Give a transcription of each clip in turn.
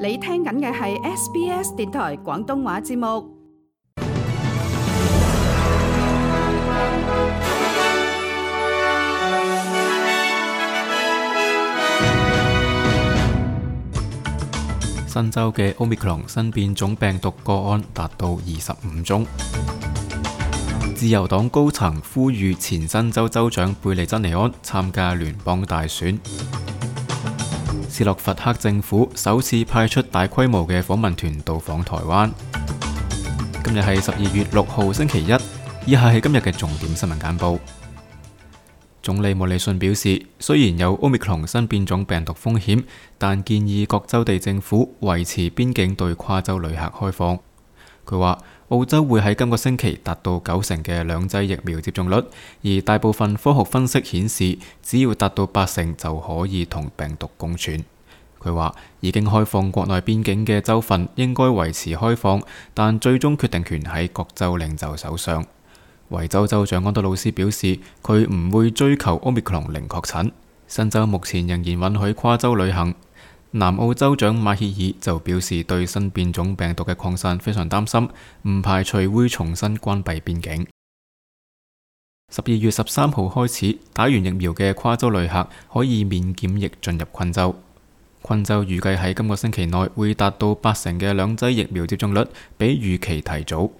你聽緊嘅係 SBS 電台廣東話節目。新州嘅 Omicron 新變種病毒個案達到25宗。自由黨高層呼籲前新州州長貝利珍尼安參加聯邦大選。斯洛伐克政府首次派出大規模嘅訪問團到訪台灣。今日係12月6號星期一，以下係今日嘅重點新聞簡報。總理莫里遜表示，雖然有 Omicron 新變種病毒風險，但建議各州地政府維持邊境對跨州旅客開放。佢話澳洲會喺今個星期達到90%嘅兩劑疫苗接種率，而大部分科學分析顯示，只要達到80%就可以同病毒共存。佢話已經開放國內邊境嘅州份應該維持開放，但最終決定權喺各州領袖手上。維州州長安德魯斯表示，佢唔會追求 Omicron 零確診。新州目前仍然允許跨州旅行。南澳州長馬歇爾就表示對新變種病毒嘅擴散非常擔心，唔排除會重新關閉邊境。12月13號開始，打完疫苗嘅跨州旅客可以免檢疫進入昆州。昆州預計喺今個星期內會達到80%嘅兩劑疫苗接種率，比預期提早。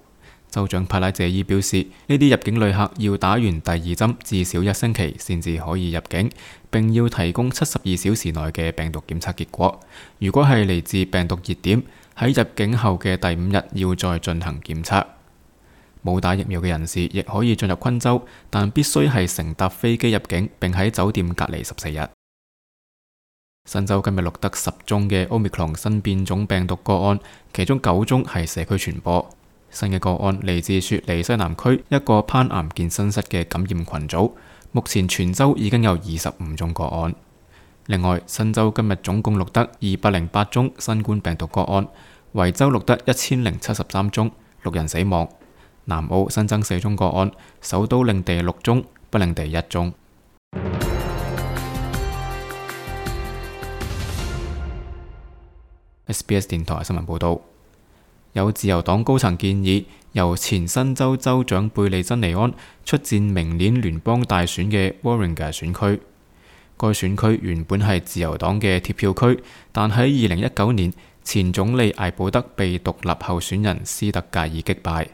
州長帕拉謝爾表示，呢啲入境旅客要打完第二針至少1星期先至可以入境，並要提供72小時內嘅病毒檢測結果。如果係嚟自病毒熱點，喺入境後嘅第5日要再進行檢測。冇打疫苗嘅人士亦可以進入昆州，但必須係乘搭飛機入境，並喺酒店隔離14日。新州今日錄得10宗嘅 Omicron 新變種病毒個案，其中9宗係社區傳播。新嘅個案嚟自雪梨西南區一個攀岩健身室嘅感染群組，目前全州已經有25宗個案。另外，新州今日總共錄得208宗新冠病毒個案，維州錄得1073宗，6人死亡。南澳新增4宗個案，首都領地6宗，北領地1宗。SBS 電台新聞報道。有自由黨高層建議，由前新州州長貝利珍尼安出戰明年聯邦大選嘅 Warringah 選區。該選區原本係自由黨嘅鐵票區，但喺2019年，前總理艾保德被獨立候選人斯特格爾擊敗。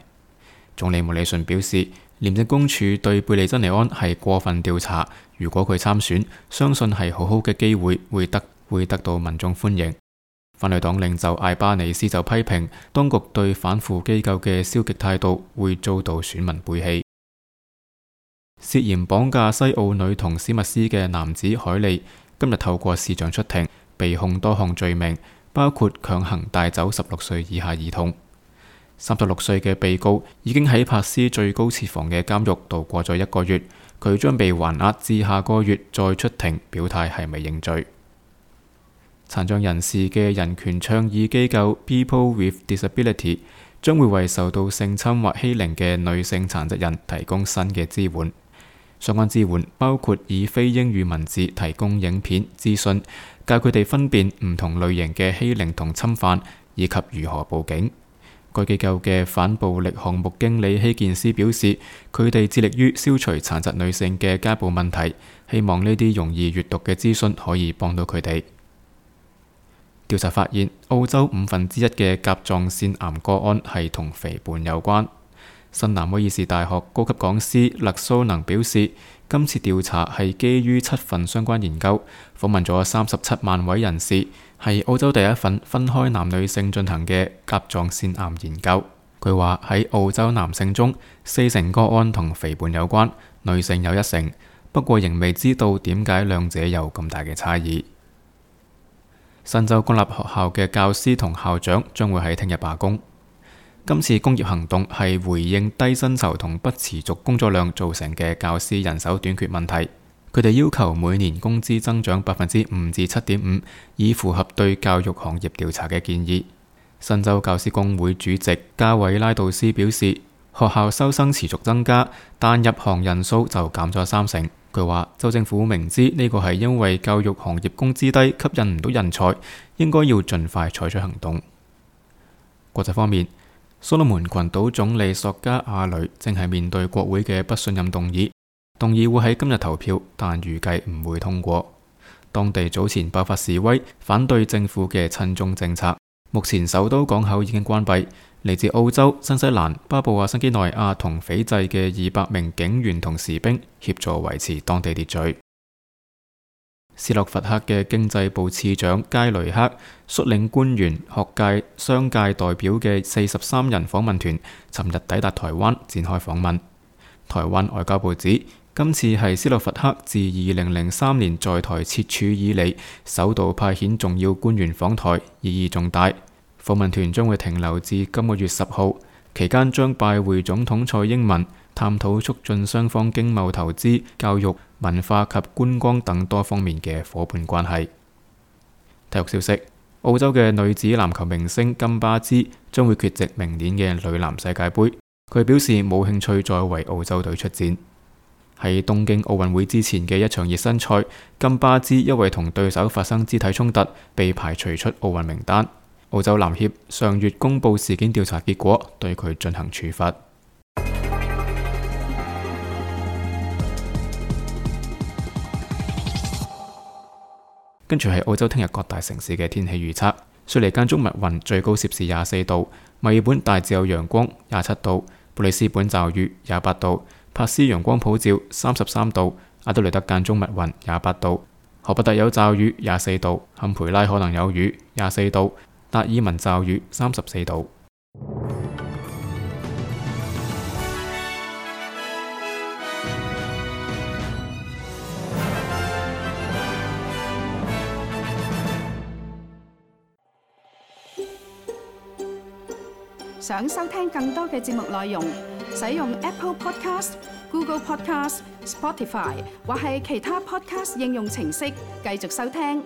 總理莫里遜表示，廉政公署對貝利珍尼安係過分調查，如果佢參選，相信係好好嘅機會，會得到民眾歡迎。反對黨領袖艾巴尼斯就批評當局對反腐機構嘅消極態度會遭到選民背棄。涉嫌綁架西澳女童史密斯嘅男子海利今日透過視像出庭，被控多項罪名，包括強行帶走16歲以下兒童。36歲嘅被告已經喺珀斯最高設防嘅監獄度過咗1個月，佢將被還押至下個月再出庭表態係咪認罪。殘障人士嘅人權倡議機構 People with Disability 將會為受到性侵或欺凌嘅女性殘疾人提供新嘅支援。相關支援包括以非英語文字提供影片資訊，教佢哋分辨唔同類型嘅欺凌同侵犯，以及如何報警。該機構嘅反暴力項目經理希健斯表示，佢哋致力於消除殘疾女性嘅家暴問題，希望呢啲容易閱讀嘅資訊可以幫到佢哋。調查發現，澳洲1/5嘅甲狀腺癌個案係同肥胖有關。新南威爾士大學高級講師勒蘇能表示，今次調查係基於7份相關研究，訪問咗37萬位人士，係澳洲第一份分開男女性進行嘅甲狀腺癌研究。佢話喺澳洲男性中，40%個案同肥胖有關，女性有1%，不過仍未知道點解兩者有咁大嘅差異。新州公立學校嘅教師同校長將會喺聽日罷工。今次工業行動係回應低薪酬同不持續工作量造成嘅教師人手短缺問題。佢哋要求每年工資增長5%至7.5%，以符合對教育行業調查嘅建議。新州教師工會主席加韋拉杜斯表示，學校收生持續增加，但入行人數就減咗30%。佢話州政府明知呢個係因為教育行業工資低，吸引唔到人才，應該要盡快採取行動。國際方面，所羅門群島總理索加亞雷正係面對國會嘅不信任動議，動議會喺今日投票，但預計唔會通過。當地早前爆發示威，反對政府嘅親中政策。目前首都港口已經關閉，嚟自澳洲、新西蘭、巴布亞新幾內亞同斐濟嘅200名警員同士兵協助維持當地秩序。斯洛伐克嘅經濟部次長佳雷克率領官員、學界、商界代表嘅43人訪問團，尋日抵達台灣展開訪問。台灣外交部指，今次係斯洛伐克自2003年在台設處以嚟首度派遣重要官員訪台，意義重大。訪問團將會停留至今個月10號，期間將拜會總統蔡英文，探討促進雙方經貿、投資、教育、文化及觀光等多方面嘅夥伴關係。體育消息：澳洲嘅女子籃球明星金巴茲將會缺席明年嘅女籃世界盃。佢表示冇興趣再為澳洲隊出戰。喺東京奧運會之前嘅一場熱身賽，金巴茲因為同對手發生肢體衝突，被排除出奧運名單。澳洲籃協上月公布事件調查結果，對佢進行處罰。跟住係澳洲聽日各大城市嘅天氣預測：雪梨間中密雲，最高攝氏24度；墨爾本大致有陽光，27度；布里斯本驟雨，28度；珀斯陽光普照，33度；阿德雷德間中密雲，28度；荷伯特有驟雨，24度；坎培拉可能有雨，24度；達爾文驟雨，34度。想收聽更多嘅節目內容，使用 Apple Podcast、Google Podcast、Spotify 或係其他 Podcast 應用程式繼續收聽。